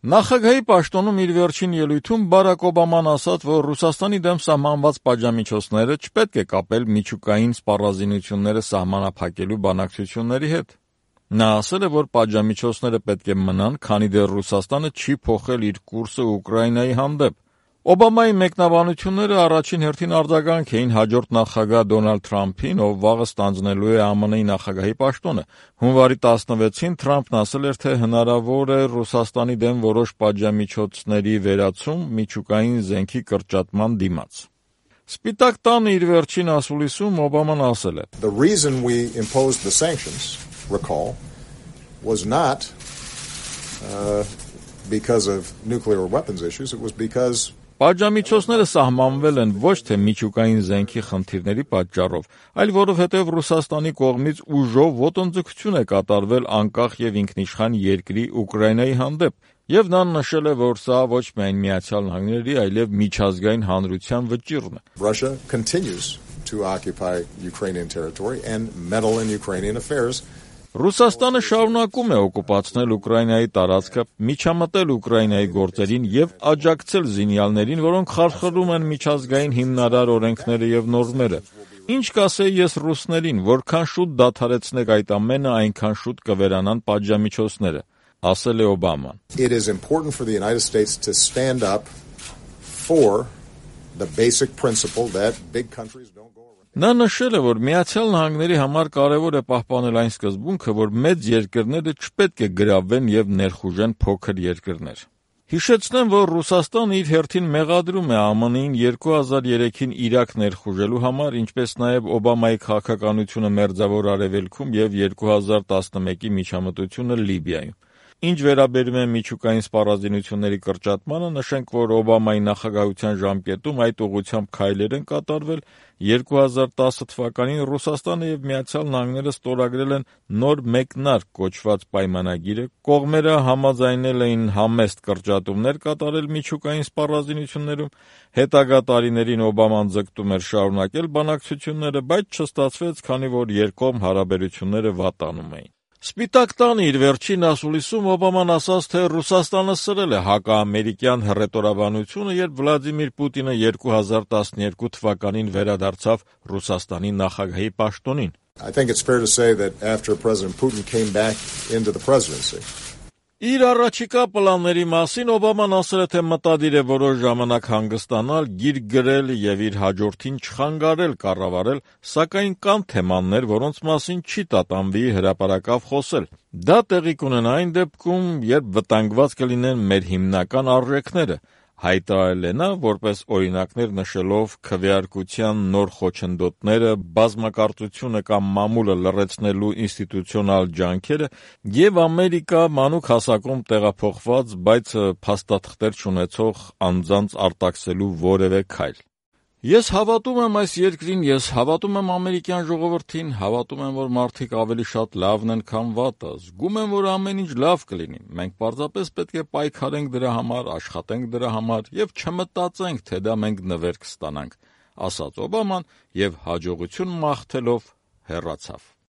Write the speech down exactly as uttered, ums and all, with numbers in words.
Նախագահի պաշտոնում իր վերջին ելույթում Բարակ Օբաման ասաց, որ Ռուսաստանի դեմ սահմանված պատժամիջոցները չպետք է կապել միջուկային սպառազինությունները սահմանափակելու բանակցությունների հետ։ Նա ասել է, որ պատժամիջոցները պետք է մնան, քանի դեռ Ռուսաստանը չի փոխել իր կուրսը Ուկրաինայի հանդեպ։ Օբամայի մեկնաբանությունները առաջին հերթին արձագանք էին հաջորդ նախագահ Դոնալդ Թրամփին, ով վաղը ստանձնելու է ԱՄՆ-ի նախագահի պաշտոնը։ Հունվարի տասնվեցին Թրամփն ասել էր, թե հնարավոր է Ռուսաստանի դեմ որոշ պատժամիջոցների վերացում միջուկային զենքի կրճատման դիմաց։ Սպիտակ տանը իր վերջին ասուլիսում Օբաման ասել է. The reason we imposed the sanctions, recall, was not uh, because of nuclear weapons issues, it was because Պատժամիջոցները սահմանվել են ոչ թե միջուկային զենքի խնդիրների պատճառով, այլ որովհետև Ռուսաստանի կողմից ուժով ոտնձգություն է կատարվել անկախ եւ ինքնիշխան երկրի Ուկրաինայի հանդեպ, եւ նա նշել է, որ սա ոչ միայն Միացյալ Նահանգների, այլև միջազգային հանրության վճիռն է։ Russia continues to occupy Ukrainian territory and meddle in Ukrainian affairs. Ռուսաստանը շարունակում է օկուպացնել Ուկրաինայի տարածքը, միջամտել Ուկրաինայի գործերին եւ աջակցել զինյալներին, որոնք խարխլում են միջազգային հիմնարար օրենքները եւ նորմերը։ Ինչ կասեի ես ռուսներին, որքան շուտ դադարեցնեք այդ ամենը, այնքան շուտ կվերանան պատժամիջոցները, ասել է Օբաման։ It is important for the United States to stand up for the basic principle that big countries don't go around. Նա նշել է, որ Միացյալ Նահանգների համար կարևոր է պահպանել այն սկզբունքը, որ մեծ երկրները չպետք է գրավեն եւ ներխուժեն փոքր երկրներ։ Հիշեցնեմ, որ Ռուսաստանը իր հերթին մեղադրում է ԱՄՆ-ին երկու հազար երեքին Իրաք ներխուժելու համար, ինչպես նաեւ Օբամայի քաղաքականությունը Մերձավոր Արևելքում եւ երկու հազար տասնմեկի միջամտությունը Լիբիայում։ Ինչ վերաբերում է միջուկային սպառազինությունների կրճատմանը, նշենք, որ Օբամայի նախագահության ժամկետում այդ ուղղությամբ քայլեր են կատարվել։ երկու հազար տասը թվականին Ռուսաստանը եւ Միացյալ Նահանգները ստորագրել են նոր մեկնարկ կոչված պայմանագիրը, կողմերը համաձայնել էին համեստ կրճատումներ կատարել միջուկային սպառազինություններում, հետագա տարիներին Օբաման ձգտում էր շարունակել բանակցությունները, բայց չստացվեց, քանի որ երկկողմ հարաբերությունները վատանում էին։ Սպիտակ տանը իր վերջին ասուլիսում Օբաման ասաց, թե Ռուսաստանը սրել է հակաամերիկյան հռետորաբանությունը, երբ Վլադիմիր Պուտինը երկու հազար տասներկու թվականին վերադարձավ Ռուսաստանի նախագահի պաշտոնին։ I think it's fair to say that after President Putin came back into the presidency. Իր առաջիկա պլանների մասին Օբաման ասել է, թե մտադիր է որոշ ժամանակ հանգստանալ, գիրք գրել եւ իր հաջորդին չխանգարել կառավարել, սակայն կան թեմաներ, որոնց մասին չի տատանվի հրապարակավ խոսել։ Դա տեղի կունենա այն դեպքում, երբ վտանգված կլինեն մեր հիմնական արժեքները, հայտարարել է նա, որպես օրինակներ նշելով քվեարկության նոր խոչընդոտները, բազմակարծությունը կամ մամուլը լռեցնելու ինստիտուցիոնալ ջանքերը եւ Ամերիկա մանուկ հասակում տեղափոխված, բայց փաստաթղթեր չունեցող անձանց արտաքսելու որևէ քայլ։ Ես հավատում եմ այս երկրին, ես հավատում եմ ամերիկյան ժողովրդին, հավատում եմ, որ մարդիկ ավելի շատ լավն են, քան վատը, զգում եմ, որ ամեն ինչ լավ կլինի։ Մենք պարզապես պետք է պայքարենք դրա համար, աշխատենք դրա համար եւ չմտածենք, թե դա մենք նվեր կստանանք, ասաց Օբաման եւ հաջողություն մաղթելով հեռացավ։